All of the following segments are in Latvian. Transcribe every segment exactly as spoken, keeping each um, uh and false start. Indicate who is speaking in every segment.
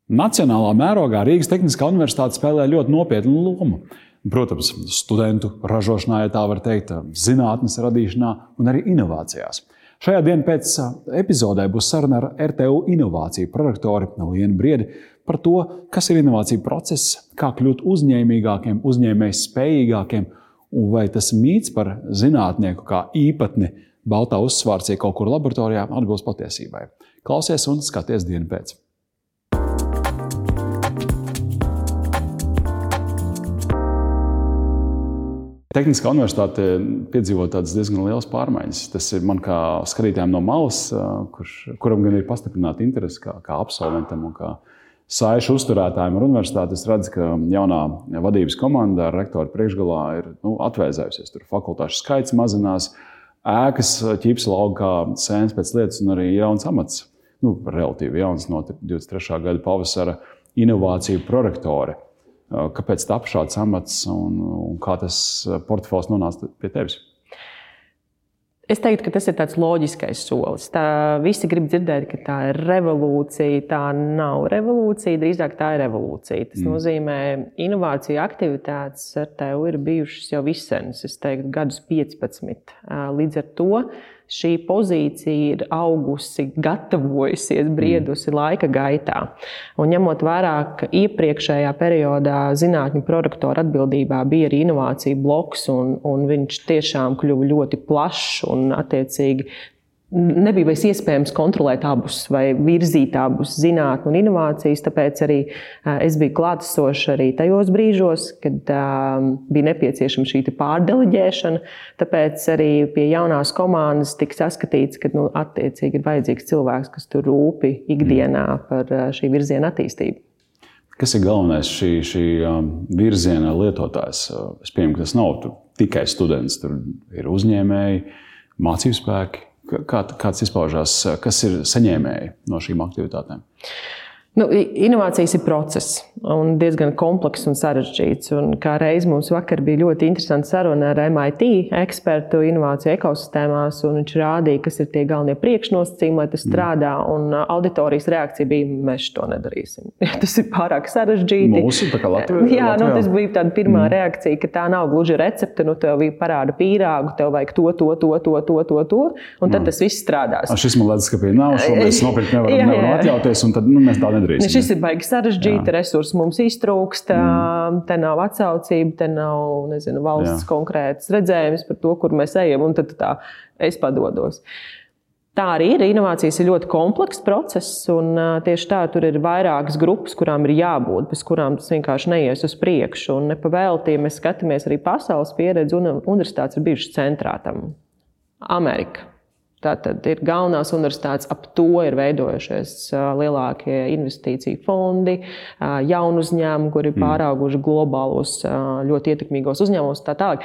Speaker 1: Nacionālā mērogā Rīgas Tehniskā universitāte spēlē ļoti nopietnu lomu. Protams, studentu ražošanā, ja tā var teikt, zinātnes radīšanā un arī inovācijās. Šajā dienas pēc epizodē būs saruna ar R T U inovāciju prorektori Lienu Briedi par to, kas ir inovāciju process, kā kļūt uzņēmīgākiem, uzņēmējs spējīgākiem, un vai tas mīts par zinātnieku kā īpatni baltā uzsvārcie kaut kur laboratorijā atbilst patiesībai. Klausies un skaties dienu pēc. Tehniskā universitāte piedzīvo tādas diezgan lielas pārmaiņas. Tas ir man kā skatītājiem no malas, kurš, kuram gan ir pastiprināta interese kā, kā absolventam un kā saišu uzturētājiem ar universitāti. Es redzu, ka jaunā vadības komanda ar rektoru priekšgalā ir nu, atvēzējusies. Tur fakultāšu skaits mazinās, ēkas ķipsa lauk kā sēnes pēc lietas un arī jauns amats. Nu, relatīvi jauns no divdesmit trešā gada pavasara inovāciju prorektori. Kāpēc tapa šāds amats un, un kā tas portfels nonāca pie tevis?
Speaker 2: Es teiktu, ka tas ir tāds loģiskais solis. Tā, visi grib dzirdēt, ka tā ir revolūcija. Tā nav revolūcija, drīzāk tā ir revolūcija. Tas mm. nozīmē, inovāciju aktivitātes ar tevi ir bijušas jau visenas, es teiktu, gadus piecpadsmit. Līdz ar to šī pozīcija ir augusi, gatavojusies, briedusi laika gaitā. Un ņemot vērā, ka iepriekšējā periodā zinātņu prorektora atbildībā bija arī inovāciju bloks, un, un viņš tiešām kļuva ļoti plašs un attiecīgi nebija vairs iespējams kontrolēt abus vai virzīt abus zinātni un inovācijas, tāpēc arī es biju klātesoša arī tajos brīžos, kad um, bija nepieciešama šī pārdeleģēšana, tāpēc arī pie jaunās komandas tika saskatīts, ka nu, attiecīgi ir vajadzīgs cilvēks, kas tur rūpi ikdienā par šī virziena attīstību.
Speaker 1: Kas ir galvenais šī, šī virziena lietotājs? Es pieņemu, ka tas nav tur tikai students, tur ir uzņēmēji, mācību spēki. Kā, kāds izpaužās, kas ir saņēmēji no šīm aktivitātēm?
Speaker 2: Nu, inovācijas ir process un diezgan komplekss un sarežģīts. Un kā reiz mums vakar bija ļoti interesanta saruna ar M I T ekspertu inovāciju ekosistēmās, un viņš rādīja, kas ir tie galvenie priekšnosacījumi, lai tas strādā, un auditorijas reakcija bija, mēs to nedarīsim. Tas ir pārāk sarežģīti.
Speaker 1: Mūsu, tā kā Latvijā?
Speaker 2: Jā, nu, tas bija tāda pirmā mm. reakcija, ka tā nav gluži recepte, nu, tev bija parāda pīrāgu, tev vajag to, to, to, to, to, to, to, un tad mm. tas viss strādās.
Speaker 1: A, šis man liekas, ka bija nav, šo mēs nopirkt nevaram, jā, nevaram atļauties, un tad nu, mēs tā nedarīsim.
Speaker 2: Šis ir baigi sarežģīti, resursi mums iztrūkst, mm. te nav atsaucība, te nav, nezinu, valsts Jā. konkrētas redzējums par to, kur mēs ejam, un tad tā es padodos. Tā arī ir. Inovācijas ir ļoti komplekss process, un tieši tā tur ir vairākas grupas, kurām ir jābūt, bez kurām tas vienkārši neies uz priekšu. Un nepavēlti, ja mēs skatāmies arī pasaules pieredzi, un universitātes ir bijušas centrā tam. Amerika. Tātad ir galvenās universitātes, ap to ir veidojušies lielākie investīciju fondi, jaunu uzņēmumu, kuri ir pārauguši globālos, ļoti ietekmīgos uzņēmumus tā tālāk.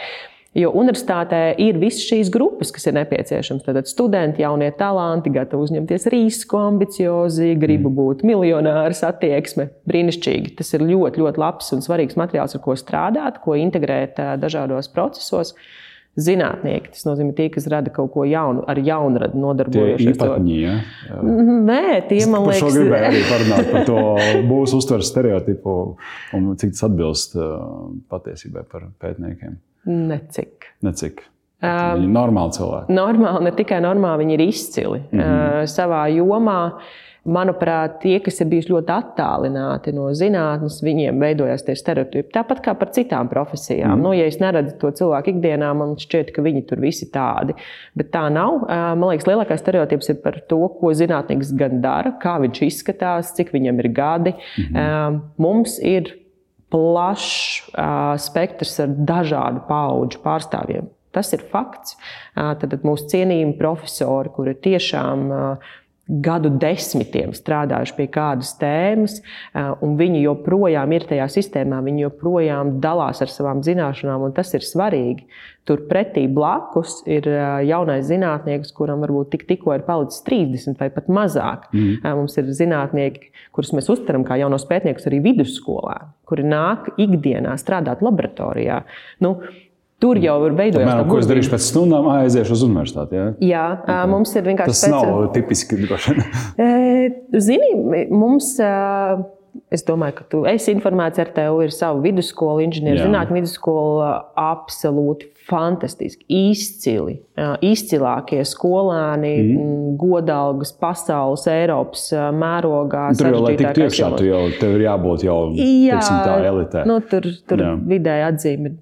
Speaker 2: Jo universitātē ir visas šīs grupas, kas ir nepieciešams. Tātad studenti, jaunie talanti, gatavi uzņemties risku, ambiciozi, gribu būt miljonārs, attieksme. Brīnišķīgi. Tas ir ļoti, ļoti labs un svarīgs materiāls, ar ko strādāt, ko integrēt dažādos procesos. Zinātnieki, tas nozīmē tie, kas rada kaut ko jaunu, ar jaunradu nodarbojušies.
Speaker 1: Tie īpatņi, ja?
Speaker 2: Nē, tie, man liekas...
Speaker 1: Par šo gribēju arī parunāt par to būs uztveres stereotipu un cik tas atbilst patiesībai par pētniekiem.
Speaker 2: Necik.
Speaker 1: Necik. Viņi ir normāli cilvēki.
Speaker 2: Normāli, ne tikai normāli, viņi ir izcili. Mm-hmm. Savā jomā. Manuprāt, tie, kas ir bijuši ļoti attālināti no zinātnes, viņiem veidojās tie stereotipi. Tāpat kā par citām profesijām. Mm. Nu, ja es neredzu to cilvēku ikdienā, man šķiet, ka viņi tur visi tādi. Bet tā nav. Man liekas, lielākais stereotips ir par to, ko zinātnieks gan dara, kā viņš izskatās, cik viņam ir gadi. Mm-hmm. Mums ir plašs spektrs ar dažādu paudžu pārstāvjiem. Tas ir fakts. Tad mūsu cienījumi profesori, kuri tiešām gadu desmitiem strādājuši pie kādas tēmas, un viņi joprojām ir tajā sistēmā, viņi joprojām dalās ar savām zināšanām, un tas ir svarīgi. Tur pretī blakus ir jaunais zinātnieks, kuram varbūt tik, tikko ir palicis trīsdesmit vai pat mazāk. Mm. Mums ir zinātnieki, kurus mēs uztveram kā jaunos pētniekus arī vidusskolā, kuri nāk ikdienā strādāt laboratorijā. Nu, Tur jau ir veidojās
Speaker 1: tā gudrība. Ko es darīšu pēc stundām, aiziešu uz universitāti, jā?
Speaker 2: Jā, okay. Mums ir vienkārši...
Speaker 1: Tas speciāli... nav tipiski droši.
Speaker 2: Zini, mums es domāju, ka tu esi informēts, ar tevi ir sava vidusskola, inženieru zinātņu vidusskola, absolūti fantastiski, izcili, izcilākie skolēni, mm. godalgas pasaules, Eiropas mērogā.
Speaker 1: Tur jau, lai tik tiekšā, tu jau, tev ir jābūt jau,
Speaker 2: jā,
Speaker 1: teiksim, tā elitē.
Speaker 2: Nu, tur tur vidēji atzīme ir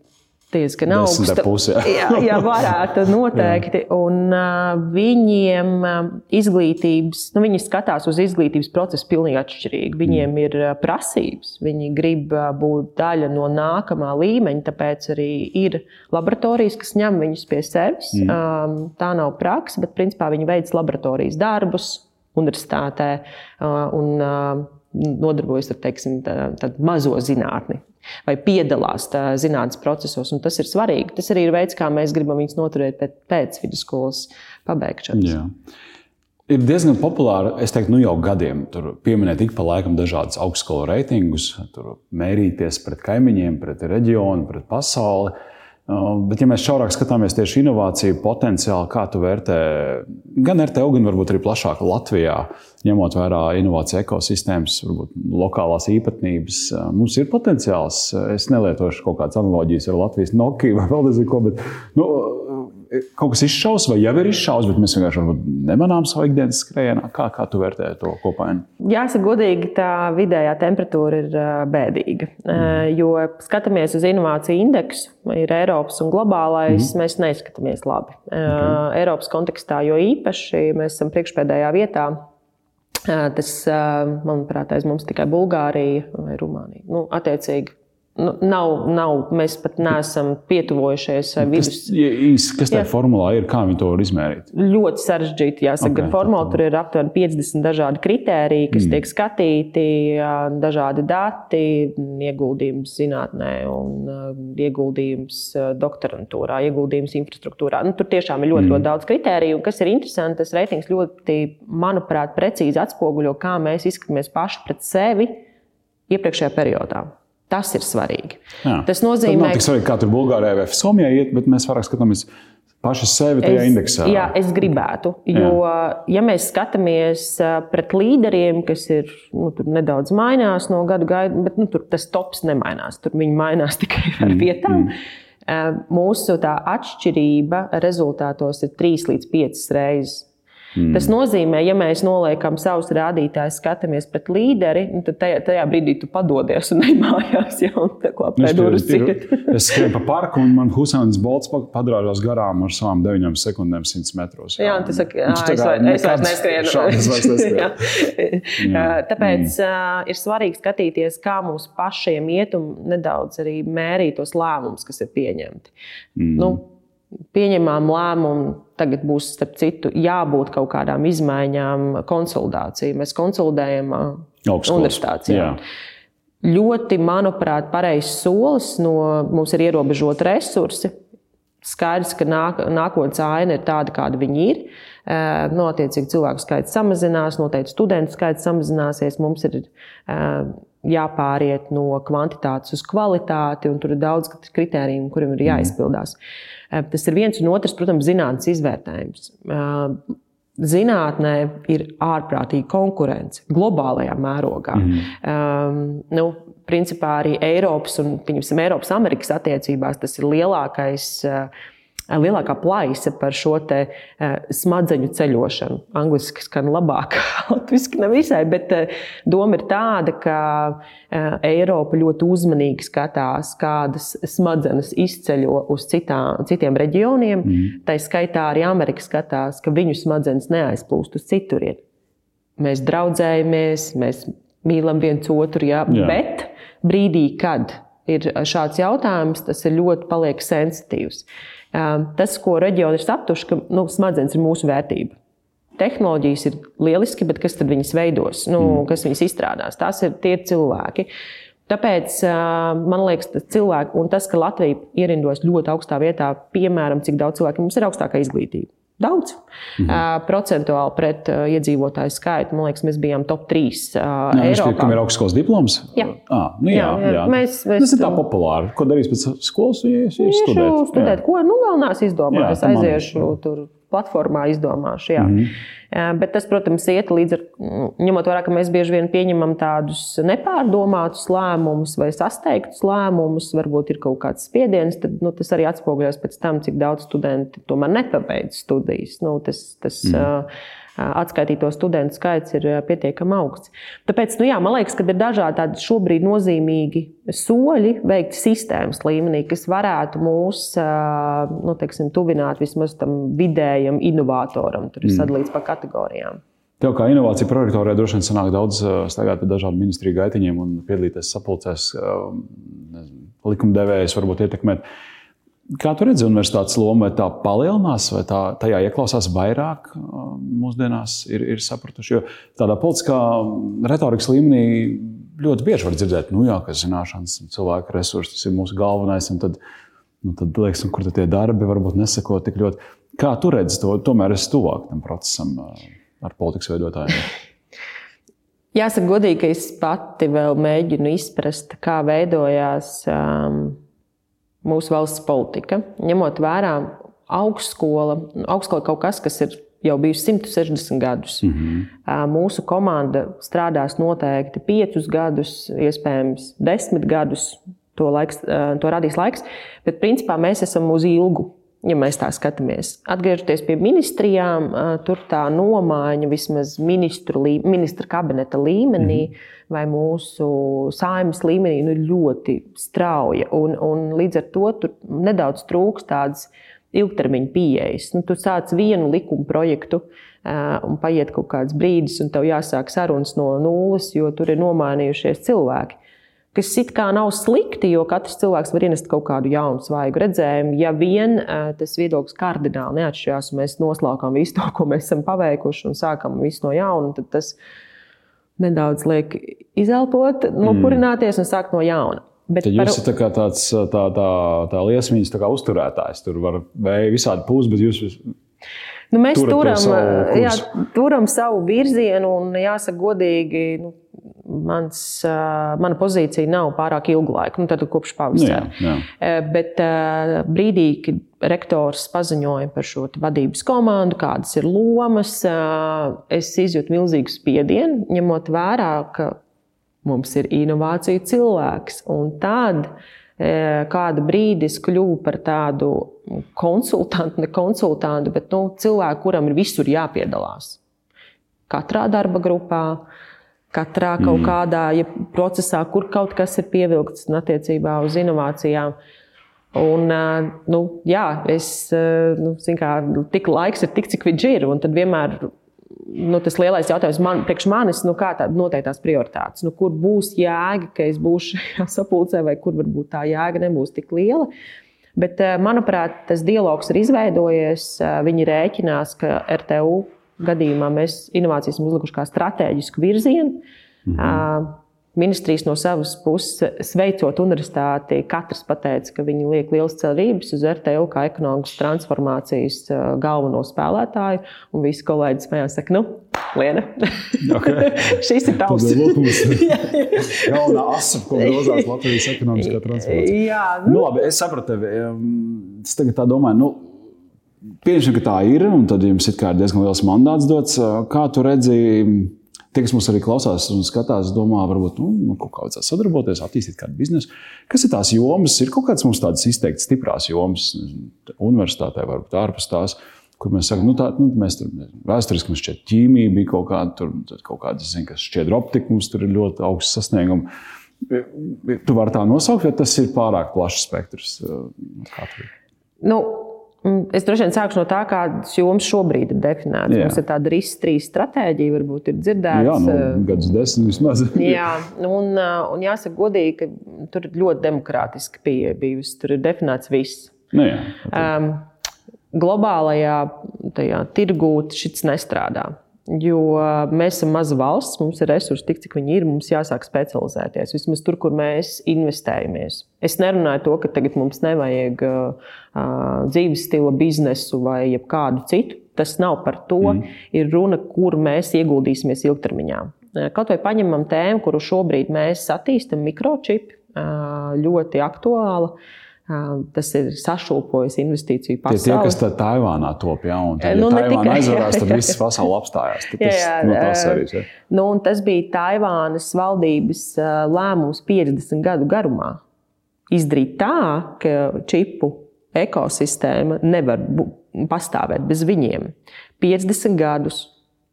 Speaker 2: diezgan augsta.
Speaker 1: Pusi, jā.
Speaker 2: jā, jā, varētu noteikti. Un uh, viņiem uh, izglītības, nu, viņi skatās uz izglītības procesu pilnīgi atšķirīgi. Viņiem mm. ir uh, prasības, viņi grib uh, būt daļa no nākamā līmeņa, tāpēc arī ir laboratorijas, kas ņem viņus pie sevis. Mm. Um, tā nav praksa, bet principā viņi veic laboratorijas darbus universitātē uh, un uh, nodarbojas ar, teiksim, tā, tādu mazo zinātni. Vai piedalās zinātnes procesos, un tas ir svarīgi. Tas arī ir veids, kā mēs gribam viņus noturēt pēc, pēc vidusskolas pabeigšanas.
Speaker 1: Jā. Ir diezgan populāri, es teiktu, nu jau gadiem, tur pieminēt ik pa laikam dažādas augstskolu reitingus, tur mērīties pret kaimiņiem, pret reģionu, pret pasauli. Bet, ja mēs šaurāk skatāmies tieši inovāciju potenciāli, kā tu vērtē gan R T U, gan varbūt arī plašāk Latvijā, ņemot vērā inovāciju ekosistēmas, varbūt lokālās īpatnības, mums ir potenciāls. Es nelietošu kaut kādas analoģijas ar Latvijas Nokia vai vēl nezinu ko, bet nu, kaut kas izšaus vai jau ir izšaus, bet mēs vienkārši nemanām savu ikdienas skrējienā. Kā, kā tu vērtē to kopainu?
Speaker 2: Jāsaka godīgi, tā vidējā temperatūra ir bēdīga, mm. jo skatāmies uz inovāciju indeksu, ir Eiropas un globālais, mm. mēs neizskatāmies labi. Okay. Eiropas kontekstā jo īpaši mēs esam priekšpēdējā vietā. Tas, manuprāt, aiz mums tikai Bulgārija vai Rumānija. Nu, attiecīgi. Nu, nav, nav, mēs pat neesam pietuvojušies vidus.
Speaker 1: Kas, kas tā formulā ir? Kā viņi to var izmērīt?
Speaker 2: Ļoti sarežģīti, jāsaka. Okay, formulā tur ir aptuveni piecdesmit dažādi kritēriji, kas mm. tiek skatīti, dažādi dati, ieguldījums zinātnē un ieguldījums doktorantūrā, ieguldījums infrastruktūrā. Nu, tur tiešām ir ļoti, mm. ļoti daudz kritēriju. Un kas ir interesanti, tas reitings ļoti, manuprāt, precīzi atspoguļo, kā mēs izskatāmies paši pret sevi iepriekšējā periodā. Tas ir svarīgi. Jā. Tas nozīmē,
Speaker 1: tad nav tik svarīgi, kā tur Bulgārijā vai Somijā iet, bet mēs vairāk skatāmies paši sevi tajā
Speaker 2: es,
Speaker 1: indeksā.
Speaker 2: Jā, es gribētu. Jo, jā. ja mēs skatāmies pret līderiem, kas ir, nu, tur nedaudz mainās no gadu gaidu, bet nu, tur tas tops nemainās. Tur viņi mainās tikai ar vietām. Mm. Mūsu tā atšķirība rezultātos ir trīs līdz piecas reizes. Mm. Tas nozīmē, ja mēs noliekam savus rādītājus, skatāmies pret līderi, tad tajā, tajā brīdī tu padodies un nemājās jau un tā klapē durvis ciet.
Speaker 1: Es skrienu pa parku un man Husēns Bolts padrāžās garām ar savām deviņām sekundēm simts metros. Jā,
Speaker 2: jā un tu saki, ā, es, vai, es vairs neskrienu.
Speaker 1: Šādas vairs neskrienu.
Speaker 2: jā. Tāpēc mm. ir svarīgi skatīties, kā mums pašiem iet un nedaudz arī mērīt tos lēmumus, kas ir pieņemti. Mm. Nu, pieņemām lēmumu, tagad būs, starp citu, jābūt kaut kādām izmaiņām, konsolidācija. Mēs konsolidējam universitātes. Jā. Ļoti, manuprāt, pareizs solis, no mums ir ierobežoti resursi. Skaidrs, ka nāk, nākotnes aina ir tāda, kāda viņi ir. No, attiecīgi cilvēku skaits samazinās, noteikti studentu skaits samazināsies. Mums ir jāpāriet no kvantitātes uz kvalitāti, un tur ir daudz kritēriju, kuriem ir jāizpildās. Tas ir viens un otrs, protams, zinātnes izvērtējums. Zinātnē ir ārprātīga konkurence globālajā mērogā. Mm. Um, nu, principā arī Eiropas un, pieņemsim, Eiropas Amerikas attiecībās tas ir lielākais lielākā plaisa par šo te smadzeņu ceļošanu. Angliski skan labāk, latviski nav visai, bet doma ir tāda, ka Eiropa ļoti uzmanīgi skatās, kādas smadzenes izceļo uz citām, citiem reģioniem. Mm. Tā skaitā arī Amerika skatās, ka viņu smadzenes neaizplūst uz citurieni. Mēs draudzējamies, mēs mīlam viens otru, jā, jā. Bet brīdī, kad ir šāds jautājums, tas ir ļoti paliek sensitīvs. Tas, ko reģioni ir saptuši, ka nu, smadzenes ir mūsu vērtība. Tehnoloģijas ir lieliski, bet kas tad viņas veidos? Nu, mm. Kas viņas izstrādās? Tās ir tie cilvēki. Tāpēc man liekas, tas cilvēki, un tas, ka Latvija ierindos ļoti augstā vietā, piemēram, cik daudz cilvēku mums ir augstākā izglītība. Daudz. Mm-hmm. Procentuāli pret iedzīvotāju skaitu, man liekas, mēs bijām top trīs uh, jā, Eiropā.
Speaker 1: Kam ir augstskolas diploms?
Speaker 2: Jā.
Speaker 1: Ah, nu jā, jā, jā.
Speaker 2: Mēs, mēs,
Speaker 1: tas ir tā populāri. Ko darīs pēc skolas, ja ir studēt?
Speaker 2: studēt. Ko? Nu, vēl nās izdomājis. Aiziešu tur platformā izdomāšu. Jā.
Speaker 1: Mm-hmm.
Speaker 2: Bet tas, protams, iet līdz ar, ņemot vērā, ka mēs bieži vien pieņemam tādus nepārdomātus lēmumus vai sasteigtus lēmumus, varbūt ir kaut kāds spiediens, tad nu, tas arī atspoguļos pēc tam, cik daudz studenti tomēr nepabeidz studijas. Nu, tas, tas, mm. Atskaitīto studentu skaits ir pietiekami augsts. Tāpēc, nu jā, man liekas, ka ir dažādi tādi šobrīd nozīmīgi soļi veikti sistēmas līmenī, kas varētu mūs, nu, teiksim, tuvināt vismaz tam vidējam inovātoram. Tur ir sadalīts pa kategorijām.
Speaker 1: Tev kā inovācija prorektorē droši vien sanāk daudz staigāt pa dažādu ministriju gaitiņiem un piedalīties sapulcēs, likumdevējus varbūt ietekmēt. Kā tu redzi universitātes loma, vai tā palielinās, vai tā, tajā ieklausās vairāk mūsdienās ir, ir sapratuši? Jo tādā politiskā retorikas līmenī ļoti bieži var dzirdēt, nu jā, ka zināšanas cilvēku resursi, tas ir mūsu galvenais, un tad, nu, tad liekas, kur tad tie darbi varbūt neseko tik ļoti. Kā tu redzi to? Tomēr esi tuvāk tam procesam ar politikas veidotājiem.
Speaker 2: Jāsaka godīgi, ka es pati vēl mēģinu izprast, kā veidojās um, mūsu valsts politika, ņemot vērā augstskola, augstskola kaut kas, kas ir jau bijusi simt sešdesmit gadus. Mm-hmm. Mūsu komanda strādās noteikti piecus gadus, iespējams desmit gadus, to, laiks, to radīs laiks, bet principā mēs esam uz ilgu, ja mēs tā skatāmies. Atgriežoties pie ministrijām, tur tā nomaiņa vismaz ministru, ministra kabineta līmenī, mm-hmm. vai mūsu saeimas līmenī nu, ļoti strauja. Un, un līdz ar to tur nedaudz trūks tādas ilgtermiņa pieejas. Nu, tu sāc vienu likuma projektu uh, un paiet kaut kāds brīdis, un tev jāsāk sarunas no nulles, jo tur ir nomainījušies cilvēki. Kas it kā nav slikti, jo katrs cilvēks var ienest kaut kādu jaunu svaigu redzējumu. Ja vien uh, tas viedoklis kardināli neatšķirās, un mēs noslēgām visu to, ko mēs esam paveikuši, un sākam visu no jauna, tad tas nedaudz liek izelpot, nopurināties un sākt no jauna. Bet
Speaker 1: tad jūs
Speaker 2: par...
Speaker 1: esat tā kā tāds tā, tā, tā liesmīņas tā kā uzturētājs. Tur var vēji visādi pūst, bet jūs
Speaker 2: nu, mēs turam
Speaker 1: savu,
Speaker 2: jā, turam savu virzienu un jāsaka godīgi, nu, mans, mana pozīcija nav pārāk ilgu laiku, nu, tad kopš pavasara.
Speaker 1: Jā, jā.
Speaker 2: Bet brīdī, kad rektors paziņoja par šo vadības komandu, kādas ir lomas, es izjūtu milzīgu spiedienu, ņemot vērā, ka mums ir inovāciju cilvēks. Un tad kādu brīdi es kļuvu par tādu konsultantu, ne konsultantu, bet nu, cilvēku, kuram ir visur jāpiedalās. Katrā darba grupā, katrā kaut kādā ja procesā, kur kaut kas ir pievilkts attiecībā uz inovācijām. Un, nu, jā, es, nu, zin kā, tik laiks ir tik, cik viņš ir, un tad vienmēr nu, tas lielais jautājums man, priekš manis, nu, kā tāda noteiktās prioritātes. Nu, kur būs jēga, ka es būšu sapulcē, vai kur varbūt tā jēga nebūs tik liela. Bet, manuprāt, tas dialogs ir izveidojies. Viņi rēķinās, ka R T U gadījumā mēs inovācijas esam uzlikuši kā stratēģisku virzienu. Mm-hmm. Ministrijas no savas puses, sveicot universitāti, katrs pateica, ka viņi liek lielas cerības uz R T U kā ekonomikas transformācijas galveno spēlētāju. Un visi kolēģi smējās, saka, nu, Liena, okay. Šis ir tavs.
Speaker 1: Galvenā asa, ko grozās Latvijas ekonomiskā transformācija.
Speaker 2: Jā, nu.
Speaker 1: Nu, labi, es sapratu tevi. Es tagad tā domāju, nu, pieņemsim, ka tā ir, un tad jums it kā ir diezgan liels mandāts dots. Kā tu redzi, tie, kas mums arī klausās un skatās, domā, varbūt nu, kaut kā vajadzētu sadarboties, attīstīt kādu biznesu. Kas ir tās jomas? Ir kaut kādas mums tādas izteikti stiprās jomas universitātē, varbūt ārpus tās, kur mēs sakam, nu tā, nu, mēs tur vēsturiski mums šķiet ķīmija bija kaut kāda, tur kaut kāda, es zinu, kas šķiedra optika, mums tur ir ļoti augsts sasniegumi. Tu vari tā nosaukt, vai tas ir pārāk plašs spektrs? Kā tu ir?
Speaker 2: Nu, es droši vien sākšu no tā, kādas jomas šobrīd ir definētas. Jā. Mums ir tāda R I S trīs stratēģija, varbūt ir dzirdēts.
Speaker 1: Jā, nu, gadus desmit vismaz.
Speaker 2: Jā, un, un jāsaka godīgi, ka tur ir ļoti demokrātiski pieeja bijusi. Tur ir definēts viss.
Speaker 1: Nu, jā,
Speaker 2: um, globālajā tajā, tirgū šis nestrādā. Jo mēs esam maza valsts, mums ir resursi tik, cik viņi ir, mums jāsāk specializēties. Vismaz tur, kur mēs investējamies. Es nerunāju to, ka tagad mums nevajag uh, dzīves stila biznesu vai jebkādu citu. Tas nav par to. Mm. Ir runa, kur mēs ieguldīsimies ilgtermiņā. Kaut vai paņemam tēmu, kuru šobrīd mēs attīstam, mikročipi, uh, ļoti aktuāla. Tas ir sašūpojis investīciju pasauli.
Speaker 1: Tie, tie kas tā Taivānā top, ja, un tad, ja nu, Taivāna aizvarās, tad viss pasauli apstājās. Tad tas, jā, jā, no tās arī, ja.
Speaker 2: Nu, un tas bija Taivānas valdības lēmums piecdesmit gadu garumā. Izdarīt tā, ka čipu ekosistēma nevar pastāvēt bez viņiem. piecdesmit gadus,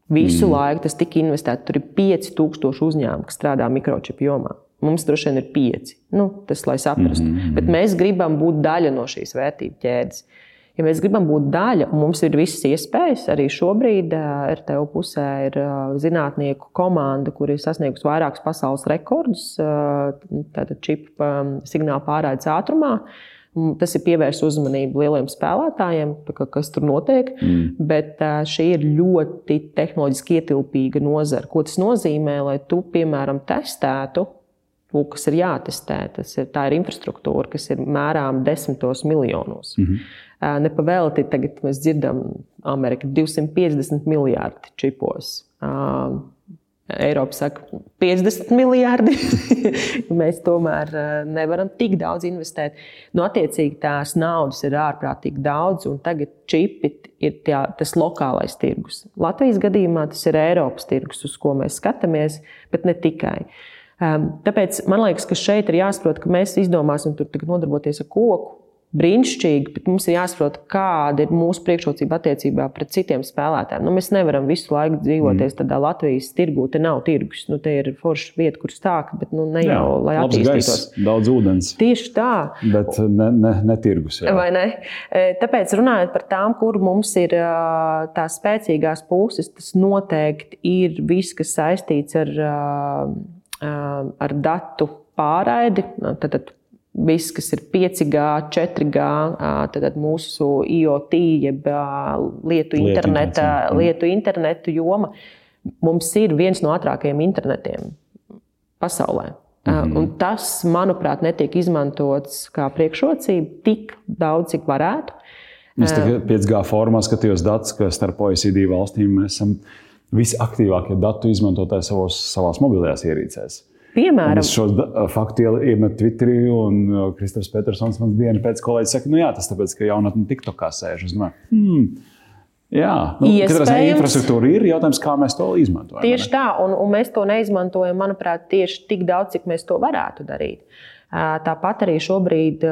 Speaker 2: visu mm. laiku tas tika investēts. Tur ir pieci tūkstoši uzņēmumi, kas strādā mikročipu jomā. Mums droši vien ir pieci. Nu, tas, lai saprastu. Mm-hmm. Bet mēs gribam būt daļa no šīs vērtību ķēdes. Ja mēs gribam būt daļa, un mums ir visas iespējas, arī šobrīd R T U pusē ir zinātnieku komanda, kur ir sasniegusi vairākus pasaules rekordus, tātad čipu signālu pārraides ātrumā. Tas ir pievērst uzmanību lieliem spēlētājiem, kas tur notiek, mm. bet šī ir ļoti tehnoloģiski ietilpīga nozara. Ko tas nozīmē, lai tu, piemēram, testētu, kas ir jātestē. Tas ir, tā ir infrastruktūra, kas ir mērām desmitos miljonos. Mm-hmm. Nepavēlti tagad mēs dzirdam Amerika divsimt piecdesmit miljārdi čipos. Eiropa saka piecdesmit miljārdi. Mēs tomēr nevaram tik daudz investēt. Nu, attiecīgi tās naudas ir ārprātīgi daudz, un tagad čipi ir tā, tas lokālais tirgus. Latvijas gadījumā tas ir Eiropas tirgus, uz ko mēs skatāmies, bet ne tikai. Tāpēc man liekas, ka šeit ir jāsaprot, ka mēs izdomāsim tur nodarboties ar koku. Brīnišķīgi, bet mums ir jāsaprot, kāda ir mūsu priekšrocība attiecībā pret citiem spēlētājiem. Nu, mēs nevaram visu laiku dzīvoties tādā Latvijas tirgū, te nav tirgus. Nu, te ir forša vieta, kur stākt, bet nu, ne jau, jā, lai attīstītos.
Speaker 1: Gaiss, daudz ūdens.
Speaker 2: Tieši tā.
Speaker 1: Bet ne, ne, ne tirgus. Jā.
Speaker 2: Vai ne? Tāpēc runājot par tām, kur mums ir tās spēcīgās puses, tas noteikti ir viss, kas saistīts ar, ar datu pārraidi. Tad, tad, viss, kas ir pieci G, četri G, tad mūsu I O T, jeb lietu, interneta, lietu internetu joma, mums ir viens no ātrākajiem internetiem pasaulē. Mm-hmm. Un tas, manuprāt, netiek izmantots kā priekšrocība tik daudz, cik varētu.
Speaker 1: Es tagad pieci G formā skatījos datus, ka starp O E C D valstīm mēs esam visaktīvākie datu izmantotāji savos, savās mobilajās ierīcēs.
Speaker 2: Piemēram.
Speaker 1: Un es šo faktu iemetu Twitterī, un Kristofers Petersons man dienu pēc kolēģis saka, nu jā, tas tāpēc, ka jaunatni TikTokā sēž. Es domāju, hmm, jā, nu, katrā infrastruktūra ir, jautājums, kā mēs to izmantojam.
Speaker 2: Tieši tā, un, un mēs to neizmantojam, manuprāt, tieši tik daudz, cik mēs to varētu darīt. Tāpat arī šobrīd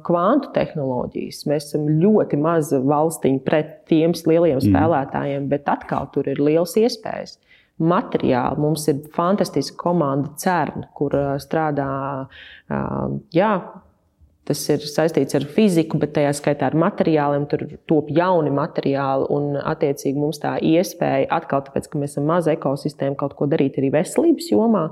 Speaker 2: kvantu tehnoloģijas. Mēs esam ļoti maza valstiņa pret tiem lielajiem spēlētājiem, mm. bet atkal tur ir liels iespējas. Materiāli. Mums ir fantastiska komanda CERN, kur strādā, jā, tas ir saistīts ar fiziku, bet tajā skaitā ar materiāliem, tur top jauni materiāli un attiecīgi mums tā iespēja atkal, tāpēc, ka mēs esam maza ekosistēma, kaut ko darīt arī veselības jomā,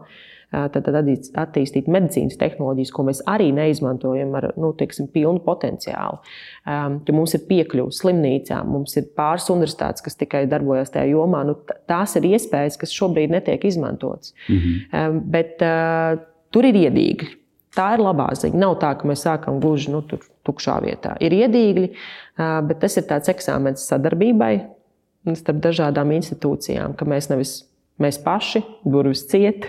Speaker 2: tad, tad attīstīt medicīnas tehnoloģijas, ko mēs arī neizmantojam ar, nu, teiksim, pilnu potenciālu. Ja mums ir piekļuve slimnīcām, mums ir pāris universitātes, kas tikai darbojas tajā jomā, nu, tās ir iespējas, kas šobrīd netiek izmantotas. Mm-hmm. Bet uh, tur ir iedīgļi. Tā ir labā ziņa. Nav tā, ka mēs sākam gluži nu, tur tukšā vietā. Ir iedīgļi, uh, bet tas ir tāds eksāmens sadarbībai starp dažādām institūcijām, ka mēs nevis mēs paši, durvis ciet,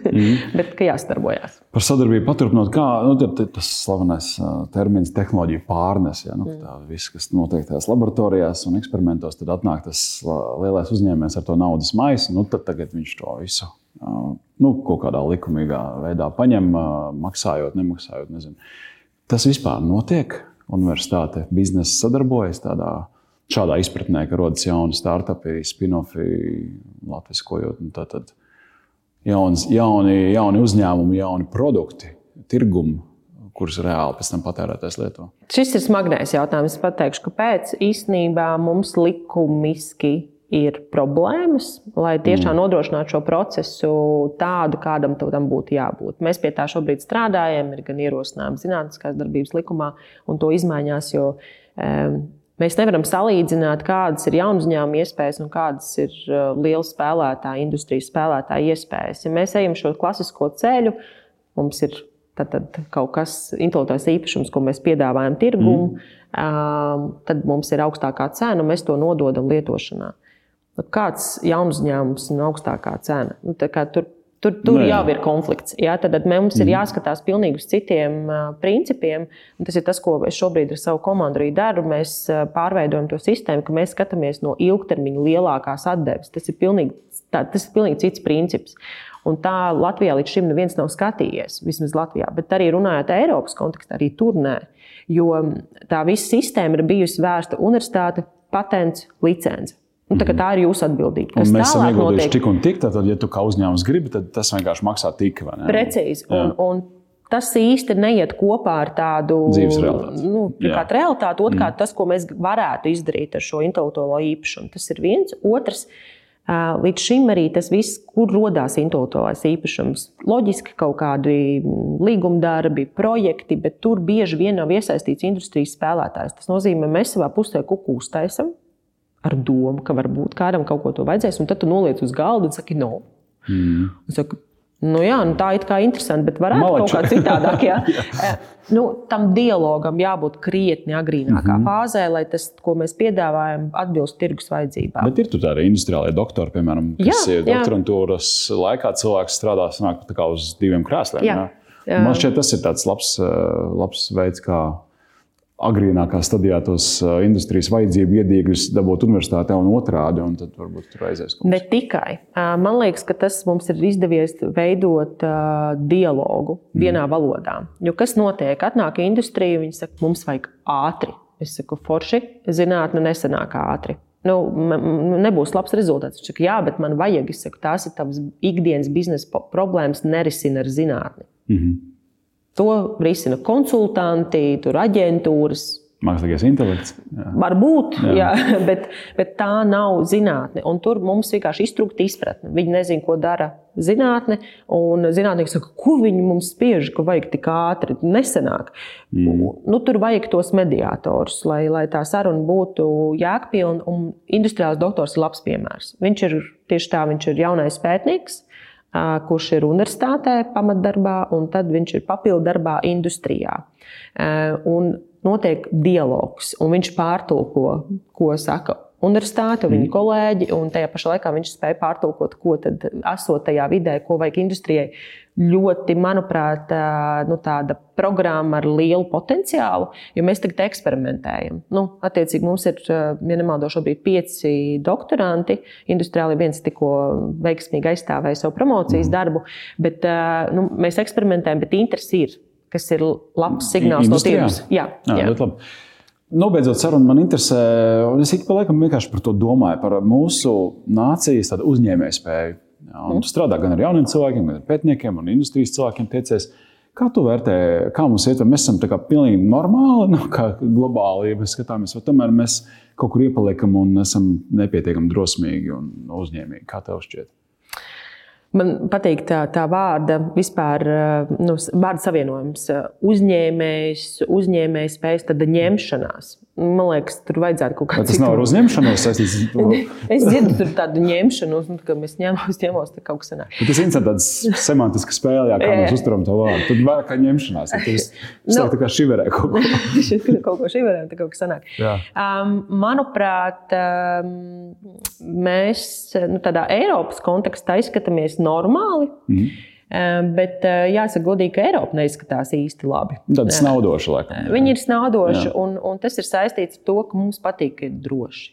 Speaker 2: mm. bet ka jāstarbojas.
Speaker 1: Par sadarbību paturpinot, kā nu, tas slavenais termins tehnoloģiju pārnes, ja, nu, mm. tā viss, kas notiek tās laboratorijās un eksperimentos, tad atnāk tas lielais uzņēmējs ar to naudas maisu, nu tad tagad viņš to visu nu, kaut kādā likumīgā veidā paņem, maksājot, nemaksājot, nezinu. Tas vispār notiek? Universitāte biznesa sadarbojas tādā šādā izpratnē, ka rodas jauni startupi, spin-offi, latviskojot, un tātad jauns, jauni, jauni uzņēmumi, jauni produkti, tirgumi, kurus reāli pēc tam patērētājs lieto.
Speaker 2: Šis ir smagnējs jautājums. Es pateikšu, kāpēc īstenībā mums likumiski ir problēmas, lai tiešām nodrošinātu šo procesu tādu, kādam tam būtu jābūt. Mēs pie tā šobrīd strādājam, ir gan ierosinājumi zinātniskās darbības likumā, un to izmaiņās, jo um, mēs nevaram salīdzināt, kādas ir jaunu uzņēmumu iespējas un kādas ir liela spēlētāja, industrijas spēlētāja iespējas. Ja mēs ejam šo klasisko ceļu, mums ir tad, tad kaut kas intelektuālais īpašums, ko mēs piedāvājam tirgumu, mm. tad mums ir augstākā cena un mēs to nododam lietošanā. Kāds jaunu uzņēmums un augstākā cena? Nu, tā kā tur Tur, tur Nē. jau ir konflikts. Jā, tad mums ir jāskatās pilnīgi uz citiem uh, principiem. Un tas ir tas, ko es šobrīd ar savu komandu arī daru. Mēs uh, pārveidojam to sistēmu, ka mēs skatāmies no ilgtermiņa lielākās atdeves. Tas ir pilnīgi, tā, tas ir pilnīgi cits princips. Un tā Latvijā līdz šim neviens nav skatījies, vismaz Latvijā. Bet arī runājot Eiropas kontekstā, arī tur nē. Jo tā visa sistēma ir bijusi vērsta universitāte, patents, licence. Un tā, tā ir jūsu atbildība.
Speaker 1: Un mēs esam ieguldījuši tik un tik, tad, ja tu kā uzņēmums gribi, tad tas vienkārši maksā tik, vai ne?
Speaker 2: Precīzi. Un, un tas īsti neiet kopā ar tādu
Speaker 1: dzīves realitāti.
Speaker 2: Nu, pirmkārt, realitāti, otrkārt, mm. tas, ko mēs varētu izdarīt ar šo intelektuālo īpašumu. Tas ir viens. Otrs, līdz šim arī tas viss, kur rodās intelektuālais īpašums. Loģiski kaut kādi līgumdarbi, projekti, bet tur bieži vien nav iesaistīts industrijas spēlētājs. Tas nozīmē, mēs savā pusē kuku uztaisam ar domu, ka varbūt kādam kaut ko to vajadzēs, un tad tu noliec uz galdu un saki, no. Mm. Un saka, nu jā, nu tā it kā interesanti, bet varētu Malači. Kaut kā citādāk, jā. jā. Nu, tam dialogam jābūt krietni agrīnākā mm-hmm. fāzē, lai tas, ko mēs piedāvājam, atbilst tirgus vajadzībām.
Speaker 1: Bet ir tur tādi industriālie doktori, piemēram, kas jā, ir doktorantūras laikā cilvēks strādā sanāk tā kā uz diviem krēsliem. Jā. Jā. Man šķiet, tas ir tāds labs, labs veids, kā agrīnākā stadijā tos industrijas vajadzību iedīgus dabūt universitātē un otrādi, un tad varbūt tur aizies kaut kas.
Speaker 2: Ne tikai. Man liekas, ka tas mums ir izdevies veidot dialogu vienā mm. valodā. Jo kas notiek? Atnāk industrija, viņi saka, mums vajag ātri. Es saku, forši, zinātne nesanāk ātri. Nu, nebūs labs rezultāts. Viņš saka, jā, bet man vajag. Es saku, tās ir tavas ikdienas biznesa problēmas, nerisina ar zinātni. Mm-hmm. To risina konsultanti, tur aģentūras.
Speaker 1: Mākslīgais intelekts. Jā.
Speaker 2: Varbūt, jā. Jā, bet, bet tā nav zinātne. Un tur mums vienkārši iztrūkst izpratne. Viņi nezina, ko dara zinātne. Un zinātnieki saka, ko viņi mums spiež, ka vajag tik ātri. Nesenāk. Mm. Nu, tur vajag tos mediātorus, lai, lai tā saruna būtu jēgpilna. Un industriāls doktors ir labs piemērs. Viņš ir tieši tā, viņš ir jaunais pētnieks, kurš ir universitātē pamatdarbā, un tad viņš ir papildu darbā industrijā. Un notiek dialogs, un viņš pārtulko, ko saka universitāte, viņa mm. kolēģi, un tajā pašā laikā viņš spēja pārtulkot, ko tad esot tajā vidē, ko vajag industrijai. Ļoti, manuprāt, nu, tāda programma ar lielu potenciālu, jo mēs tagad eksperimentējam. Nu, attiecīgi mums ir, ja nemaldo, šobrīd pieci doktoranti, industriāli viens tikko veiksmīgi aizstāvēja savu promocijas mm. darbu, bet nu, mēs eksperimentējam, bet interesi ir, kas ir labs signāls
Speaker 1: Industrijā?
Speaker 2: No tirgus. Jā, jā.
Speaker 1: jā labi. Nobeidzot sarunu, man interesē, un es ik pa laikam vienkārši par to domāju, par mūsu nācijas tādu uzņēmēju spēju. Jā, un tu strādā gan ar jauniem cilvēkiem, gan ar pētniekiem un industrijas cilvēkiem tiecies. Kā tu vērtē, kā mums iet, mēs esam tā kā pilnīgi normāli, nu, kā globāli, ja mēs skatāmies, vai tomēr mēs kaut kur iepaliekam un esam nepietiekami drosmīgi un uzņēmīgi. Kā tev šķiet?
Speaker 2: Man patīk tā, tā vārda vispār, nu, vārda savienojums. Uzņēmējs, uzņēmējs spējas, tad ņemšanās. Man liekas, tur vajadzētu kaut kādu citu.
Speaker 1: Tas nav ar uzņemšanos saistīts?
Speaker 2: Es dzirdu tur tādu ņemšanu, ka mēs ņemos, ņemos, tad kaut kas sanāk.
Speaker 1: Bet tas ir tāds semantiska spēle, jā, kā mēs uzturam to vārdu. Tad vairāk kā ņemšanās. Tad es no, tā kā šiverē kaut ko.
Speaker 2: kaut ko šiverē, tad kaut kas sanāk. Um, manuprāt, um, mēs nu, tādā Eiropas kontekstā izskatāmies normāli, mm. bet jāsaka godīgi, ka Eiropa neizskatās īsti labi.
Speaker 1: Tāda snaudoša, laikam.
Speaker 2: Viņi ir snaudoši, un, un tas ir saistīts ar to, ka mums patīk, ka ir droši.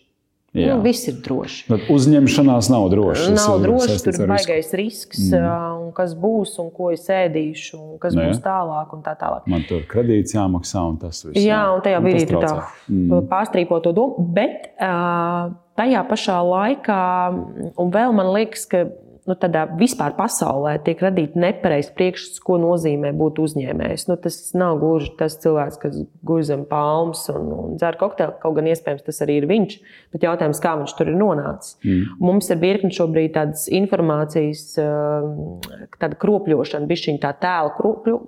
Speaker 2: Jā. Nu, viss ir droši.
Speaker 1: Bet uzņemšanās nav droši.
Speaker 2: Nav droši, tur ir baigais risks, mm. un kas būs, un ko es ēdīšu, un kas ne. Būs tālāk, un tā tālāk.
Speaker 1: Man tur kredīts jāmaksā, un tas viss.
Speaker 2: Jā, un tajā brīdī tu tā mm. pārstrīpo to domu, bet uh, tajā pašā laikā, un vēl man liekas, ka nu, tādā vispār pasaulē tiek radīta nepareizs priekšstats, ko nozīmē būt uzņēmējs. Nu, tas nav gluži tas cilvēks, kas guļ zem palmas un, un dzer kokteili, kaut gan iespējams tas arī ir viņš, bet jautājums, kā viņš tur ir nonācis. Mm. Mums ir virkni šobrīd tādas informācijas, tāda kropļošana, bišķiņ tā tēla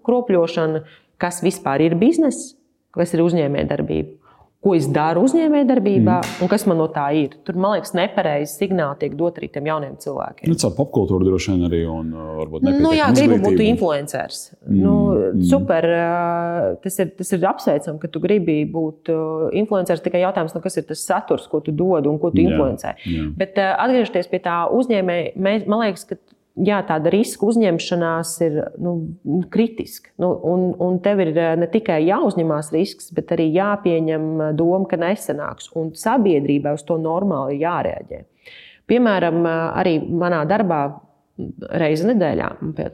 Speaker 2: kropļošana, kas vispār ir bizness, kas ir uzņēmējdarbība. Ko es daru uzņēmējdarbībā mm. un kas man no tā ir. Tur, man liekas, nepareizi signāli tiek dot arī tiem jauniem cilvēkiem.
Speaker 1: Nu, caur popkultūru droši vien arī un varbūt nepietiekami
Speaker 2: nu, jā, gribu būt influenceris. Mm. Nu, super, tas ir, tas ir apsveicam, ka tu gribi būt influenceris, tikai jautājums, nu, kas ir tas saturs, ko tu dod un ko tu influencē. Jā, jā. Bet atgriežoties pie tā uzņēmēja, man liekas, ka jā, tāda riska uzņemšanās ir nu, kritiska. Nu, un, un tev ir ne tikai jāuzņemās risks, bet arī jāpieņem doma, ka nesanāks. Un sabiedrībai uz to normāli jārēģē. Piemēram, arī manā darbā reizi nedēļā.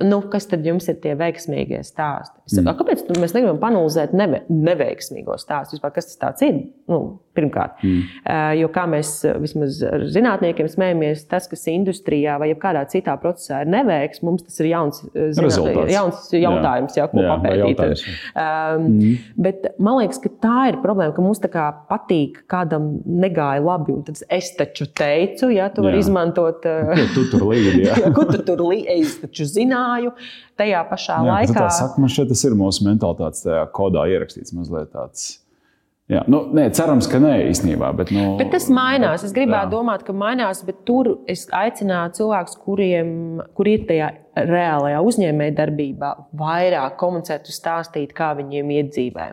Speaker 2: Nu, kas tad jums ir tie veiksmīgie stāsti? Es saku, kāpēc mēs negribam panalizēt neve, neveiksmīgos stāstus? Vispār, kas tas tāds ir? Nu, pirmkārt. Mm. Jo kā mēs vismaz zinātniekiem smējamies, tas, kas industrijā vai kādā citā procesā ir neveiks, mums tas ir jauns, zināt, jauns jautājums, jā. Jā, ko jā, papētīt. Um, mm. Bet man liekas, ka tā ir problēma, ka mums tā kā patīk kādam negāja labi, un tad es taču teicu, ja tu vari izmantot...
Speaker 1: Ko tu tur līdi, jā?
Speaker 2: jā, ko tu tur līdi, es taču zināju, tajā pašā jā, laikā...
Speaker 1: Tā saka, man šeit tas ir mūsu mentalitātes tajā kodā ierakstīts mazliet tāds... Jā, nu, nē, cerams, ka nē īstenībā, bet... Nu,
Speaker 2: bet tas mainās. Es gribētu jā. domāt, ka mainās, bet tur es aicinātu cilvēkus, kuriem, kur ir tajā reālajā uzņēmēja darbībā, vairāk komunicēt un stāstīt, kā viņiem iet dzīvē,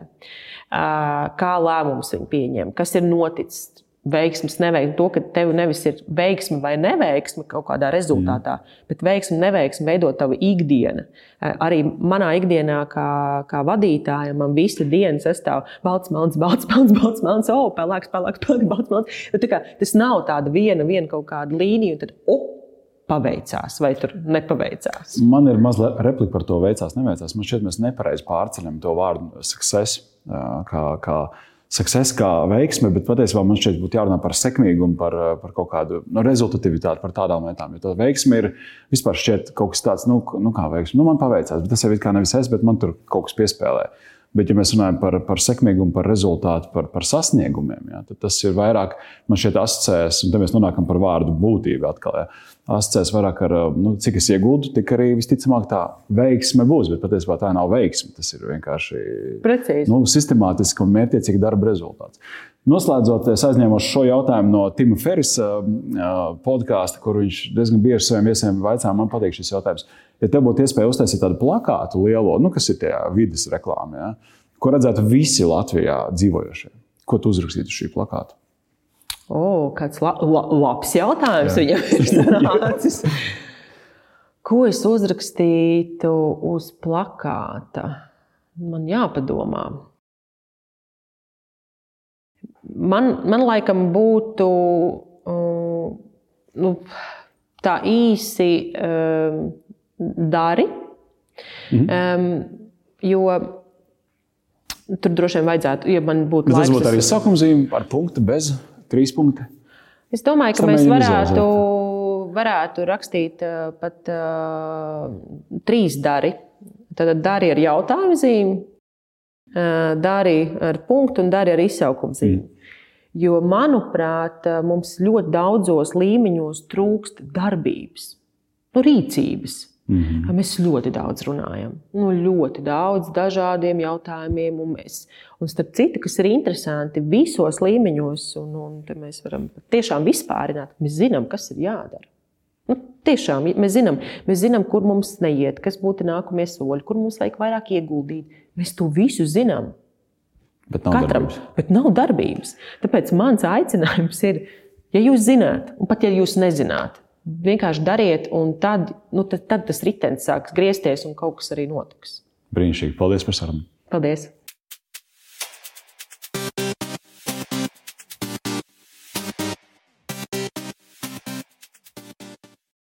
Speaker 2: kā lēmumus viņi pieņem, kas ir noticis. Veiksmes, neveiksme, to, ka tev nevis ir veiksme vai neveiksme kaut kādā rezultātā, mm. bet veiksme, neveiksme veido tavu ikdienu. Arī manā ikdienā kā, kā vadītājam man visa diena sastāv balts, melns, balts, melns, balts, melns, o, pelēks, pelēks, pelēks, balts, melns. Tā kā, tas nav tāda viena, viena kaut kāda līnija, un tad, o, paveicās vai tur nepaveicās.
Speaker 1: Man ir mazliet replika par to veicās, neveicās. Man šķiet, mēs nepareizi pārceļam to vārdu success, kā, kā success kā veiksme, bet patiesībā man šķiet būtu jārunā par sekmīgumu, par, par kaut kādu nu, rezultatīvitāti, par tādām lietām. Jo tā veiksme ir vispār šķiet kaut kas tāds, nu, nu kā veiksme, nu man paveicās, bet tas jau it kā nevis es, bet man tur kaut kas piespēlē. Bet, ja mēs runājam par, par sekmīgumu, par rezultātu, par, par sasniegumiem, jā, tad tas ir vairāk, man šķiet asociēs, un te mēs nonākam par vārdu būtību atkal, jā, asociēs vairāk ar, nu, cik es ieguldu, tik arī visticamāk tā veiksme būs, bet patiesībā tā nav veiksme, tas ir vienkārši
Speaker 2: Precīzi.
Speaker 1: Nu, sistemātiski un mērķiecīgi darba rezultāts. Noslēdzot, es aizņēmu šo jautājumu no Tima Ferrisa podkāsta, kur viņš diezgan bieži saviem viesiem vaicā, man patīk šis jautājums. Ja tev būtu iespēja uztaisīt tādu plakātu lielo, nu, kas ir tajā vides reklāmā, ja, ko redzētu visi Latvijā dzīvojošie, ko tu uzrakstītu uz šī plakāta?
Speaker 2: O, kāds la, la, labs jautājums jā. Viņam ir sanācis. Ko es uzrakstītu uz plakāta? Man jāpadomā. Man, man laikam būtu uh, nu, tā īsi uh, dari, mm-hmm. um, jo tur droši vien vajadzētu, ja man būtu
Speaker 1: bet
Speaker 2: laiks.
Speaker 1: Tas būtu arī sakumzīme ar punktu bez trīs punkti.
Speaker 2: Es domāju, ka mēs varētu, varētu rakstīt uh, pat uh, trīs dari. Tad dari ar jautājumu zīmi, uh, dari ar punktu un dari ar izsaukumu zīmi. Mm. Jo, manuprāt, mums ļoti daudzos līmeņos trūkst darbības, nu, rīcības. Mm-hmm. Mēs ļoti daudz runājam, nu, ļoti daudz dažādiem jautājumiem. Un, mēs, un starp citu, kas ir interesanti, visos līmeņos, un, un te mēs varam tiešām vispārināt, mēs zinām, kas ir jādara. Nu, tiešām mēs zinām, mēs zinām, kur mums neiet, kas būtu nākamie soļi, kur mums vajag vairāk ieguldīt. Mēs to visu zinām.
Speaker 1: Bet nav
Speaker 2: Katram,
Speaker 1: darbības.
Speaker 2: Bet nav darbības. Tāpēc mans aicinājums ir, ja jūs zināt, un pat ja jūs nezināt, vienkārši dariet, un tad, nu, tad, tad tas ritenis sāks griezties, un kaut kas arī notiks.
Speaker 1: Brīnišķīgi. Paldies par sarunu.
Speaker 2: Paldies.